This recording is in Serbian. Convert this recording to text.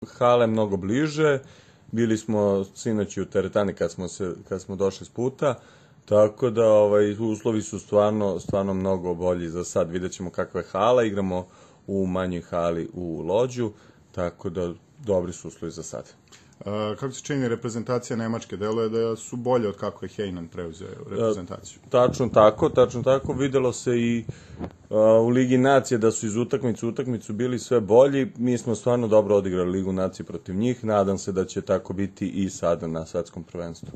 hale mnogo bliže, bili smo sinoć u teretani kad smo došli s puta, tako da uslovi su stvarno mnogo bolji za sad. Vidjet ćemo kakva je hala, igramo u manjoj hali u Lođu, tako da dobri su uslovi za sad. Kako se čini reprezentacija Nemačke? Deluje da su bolje od kako je Hejnan preuzeo reprezentaciju. Tačno tako. Videlo se i u Ligi nacije da su iz utakmicu bili sve bolji. Mi smo stvarno dobro odigrali Ligu nacije protiv njih. Nadam se da će tako biti i sada na svetskom prvenstvu.